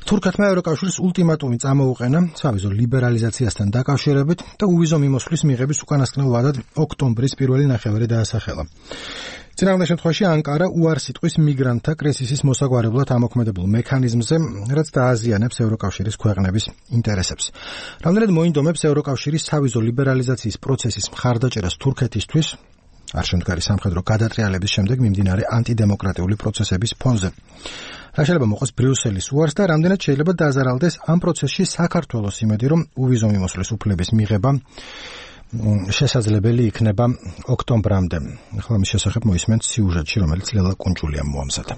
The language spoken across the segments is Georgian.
თურქეთმა ევროკავშირის ულტიმატუმი წამოუყენა სავიზო ლიბერალიზაციასთან დაკავშირებით და უვიზო მიმოსვლის მიღების უკანასკნელ ვადად ოქტომბრის პირველი ნახევარი დაასახელა. წინააღმდეგ შემთხვევაში ანკარა უარს იტყვის მიგრანტთა კრიზისის მოსაგვარებლად ამოქმედებულ მექანიზმზე, რაც დააზიანებს ევროკავშირის ქვეყნების ინტერესებს. რამდენად მოინდომებს ევროკავშირის სავიზო ლიბერალიზაციის პროცესის მხარდაჭერას თურქეთისთვის არ შემდგარი სამხედრო გადატრიალების შემდეგ მიმდინარე ანტიდემოკრატიული პროცესების ფონზე. რა შეიძლება მოყოს ბრიუსელის უარს და რამდენად შეიძლება დაზარალდეს ამ პროცესში საქართველოს იმედი, რომ უვიზო მიმოსვლის უფლების მიღება შესაძლებელი იქნება ოქტომბრამდე. ახლა მის შესახებ მოისმენთ სიუჟეტში, რომელიც ლელა კუნჯულიამ მოამზადა.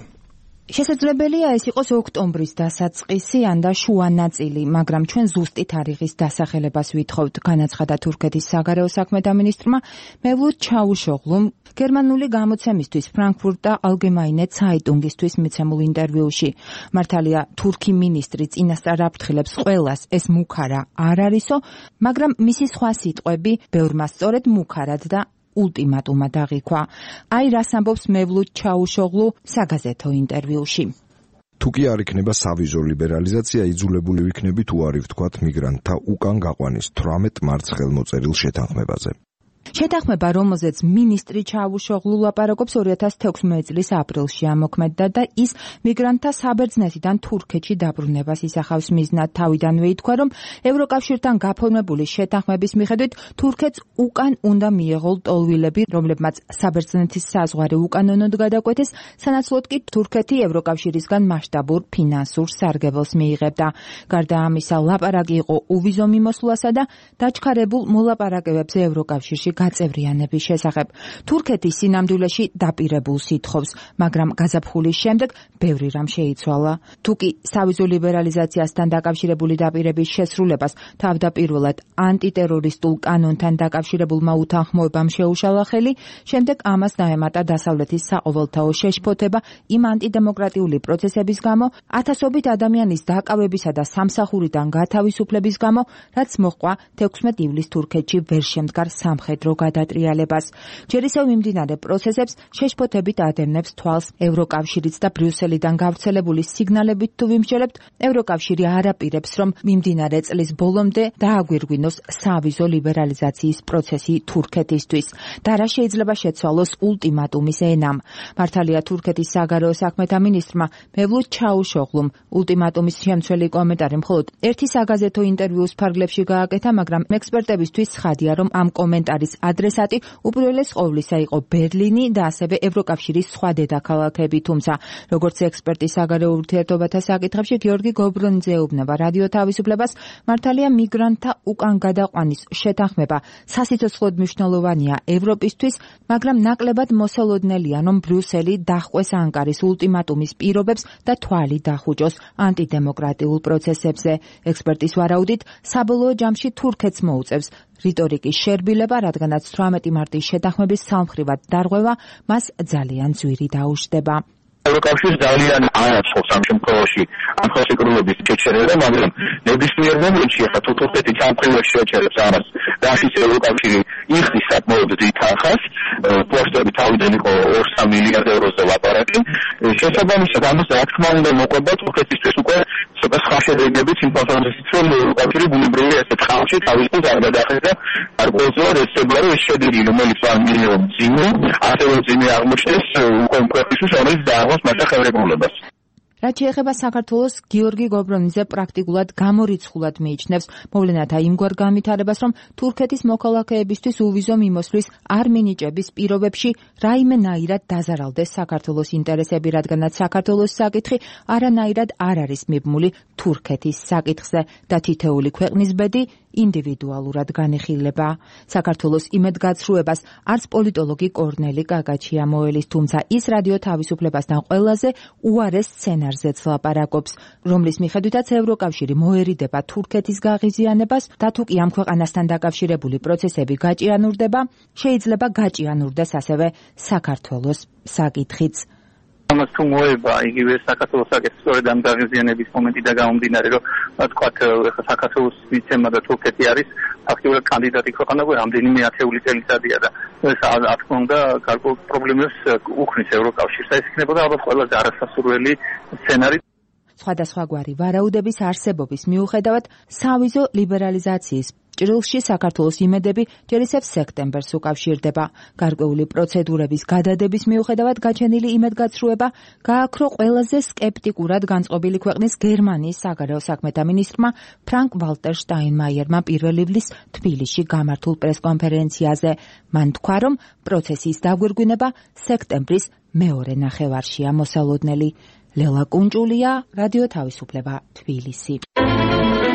შესაძლებელია ეს იყოს ოქტომბრის დასაწყისი ან და შუა ნაწილი, მაგრამ ჩვენ ზუსტი თარიღის დასახელებას ვითხოვთ, განაცხადა თურქეთის საგარეო საქმეთა მინისტრმა მევლութ ჩავუშოღლუმ გერმანული გამოცემისთვის ფრანკფურტა ალგემაინე ცაიტუნგისთვის მიცემულ ინტერვიუში. მართალია თურქი მინისტრი წინასწარ აფრთხილებს ყველას ეს მუქარა არ არისო, მაგრამ მისი სხვა სიტყვები ბევრმა სწორედ მუქარად და ულტიმატუმად აღიქვა. აი რას ამბობს მევლութ ჩაუშოღლუ საგაზეთო ინტერვიუში. თუ კი არ იქნება სავიზო ლიბერალიზაცია, იძულებული ვიქნები თუ არ ვთქვათ მიგრანტთა უკან გაყვანის 18 მარტს ხელმოწერილ შეთანხმებაზე. შეთანხმება, რომელზეც მინისტრი ჩავუშოღლუ ლაპარაკობს 2016 წლის აპრილში ამოქმედდა და ის მიგრანტთა საბერძნეთიდან თურქეთში დაბრუნებას ისახავს მიზნად. თავიდანვე ითქვა, რომ ევროკავშირთან გაფორმებული შეთანხმების მიხედვით თურქეთს უკან უნდა მიეღო ლტოლვილები, რომლებმაც საბერძნეთის საზღვარი უკანონოდ გადაკვეთეს, სანაცვლოდ კი თურქეთი ევროკავშირისგან მასშტაბურ ფინანსურ სარგებელს მიიღებდა. გარდა ამისა, ლაპარაკი იყო უვიზო მიმოსვლასა და დაჩქარებულ მოლაპარაკებებზე ევროკავშირში გაწევრიანების შესახებ. თურქეთი სინამდვილეში დაპირებულს ითხოვს, მაგრამ გაზაფხულის შემდეგ ბევრი რამ შეიცვალა. თუკი სავიზო ლიბერალიზაციასთან დაკავშირებული დაპირების შესრულებას თავდაპირველად ანტიტერორისტულ კანონთან დაკავშირებულმა უთანხმოებამ შეუშალა ხელი, შემდეგ ამას დაემატა დასავლეთის საყოველთაო შეშფოთება იმ ანტიდემოკრატიული პროცესების გამო, ათასობით ადამიანის დაკავებისა და სამსახურიდან გათავისუფლების გამო, რაც მოჰყვა 16 ივლისს თურქეთში ვერ შემდგარ სამხედრო გადატრიალებას. ჯერ ისევ მიმდინარე პროცესებს შეშფოთებით ადევნებს თვალს ევროკავშირიც და ბრიუსელიდან გავრცელებული სიგნალებით თუ ვიმსჯელებთ, ევროკავშირი არ აპირებს, რომ მიმდინარე წლის ბოლომდე დააგვირგვინოს სავიზო ლიბერალიზაციის პროცესი თურქეთისთვის და რა შეიძლება შეცვალოს ულტიმატუმის ენამ. მართალია თურქეთის საგარეო საქმეთა მინისტრმა მევლութ ჩაუშოღლუმ ულტიმატუმის შემცველი კომენტარი მხოლოდ ერთი საგაზეთო ინტერვიუს ფარგლებში გააკეთა, მაგრამ ექსპერტებისთვის ცხადია, რომ ამ კომენტარის ადრესატი უპირველეს ყოვლისა იყო ბერლინი და ასევე ევროკავშირის სხვა დედაქალაქები, თუმცა როგორც ექსპერტი საგარეო ურთიერთობათა საკითხებში გიორგი გობრონიძე ეუბნება რადიო თავისუფლებას, მართალია მიგრანტთა უკან გადაყვანის შეთანხმება სასიცოცხლოდ მნიშვნელოვანია ევროპისთვის, მაგრამ ნაკლებად მოსალოდნელია, რომ ბრიუსელი დაჰყვეს ანკარის ულტიმატუმის პირობებს და თვალი დახუჭოს ანტიდემოკრატიულ პროცესებზე. ექსპერტის ვარაუდით, საბოლოო ჯამში თურქეთს მოუწევს რიტორიკის შერბილება, რადგანაც 18 მარტის შეთანხმების სამხრივად დარღვევა მას ძალიან ძვირი დაუშვდება. ევროკავშირი ძალიან არაცხობს ამ შემთხვევაში ამ ხელშეკრულების შეჩერება, მაგრამ ნებისმიერ მომენტში ახლა თურქეთი სამხრივად შეჩერებს ამას და ის ევროკავშირი იხდის საკმაოდ დიდ თანხას, პოსტები თავიდან იყო 2-3 მილიარდ ევროზე ლაპარაკი. შესაბამისად ამას რა თქმა უნდა მოყვება თურქეთისთვის უკვე ცოტა სხვა შედეგებიც იმ ფასადით, რომ ევროკავშირი ბუნებრივი ესეთ ხალხში თავისუფლად არ გადახედა არ ყოველწლიურად ეცებარო ეს შედეგი, რომელიც არ მიიღო ძიმე, ასევე ძიმე აღმოჩნდეს უკვე ქვეყნისთვის, რომელიც დააღოს მას ხელმძღვანელობას. რაც შეეხება საქართველოს, გიორგი გობრონიძე პრაქტიკულად გამორიცხულად მიიჩნევს მოვლენათა იმგვარ განვითარებას, რომ თურქეთის მოქალაქეებისთვის უვიზო მიმოსვლის არ მინიჭების პირობებში რაიმენაირად დაზარალდეს საქართველოს ინტერესები, რადგანაც საქართველოს საკითხი არანაირად არ არის მიბმული თურქეთის საკითხზე და თითეული ქვეყნის ბედი ინდივიდუალურად განიხილება. საქართველოს იმედგაცრუებას არც პოლიტოლოგი კორნელი კაკაჩია მოელის, თუმცა ის რადიო თავისუფლებასთან ყველაზე უარეს სცენარზეც ლაპარაკობს, რომლის მიხედვითაც ევროკავშირი მოერიდება თურქეთის გაღიზიანებას და თუ კი ამ ქვეყანასთან დაკავშირებული პროცესები გაჭიანურდება, შეიძლება გაჭიანურდეს ასევე საქართველოს საკითხიც. ამას თუ მოება იგივე საქართველოს საკითხი სწორედ ამ გაღიზიანების მომენტიდან გამომდინარე, რომ თქვათ საქართველოს მიცემა და თურქეთი არის ფაქტობრივად კანდიდატი ქვეყანა, რამდენიმე ათეული წელიწადია და ეს რა თქმა უნდა გარკვეულ პრობლემებს უქმნის ევროკავშირს. ეს იქნებოდა ალბათ ყველაზე არასასურველი სცენარი. სხვადასხვაგვარი ვარაუდების არსებობის მიუხედავად, სავიზო ლიბერალიზაციის ჭრილში საქართველოს იმედები ჯერ ისევ სექტემბერს უკავშირდება. გარკვეული პროცედურების გადადების მიუხედავად გაჩენილი იმედგაცრუება გააქრო ყველაზე სკეპტიკურად განწყობილი ქვეყნის გერმანიის საგარეო საქმეთა მინისტრმა ფრანკ ვალტერ შტაინმაიერმა 1 ივლის თბილისში გამართულ პრესკონფერენციაზე. მან თქვა, რომ პროცესის დაგვირგვინება სექტემბრის მეორე ნახევარშია მოსალოდნელი. ლელა კუნჭულია, რადიო თავისუფლება, თბილისი.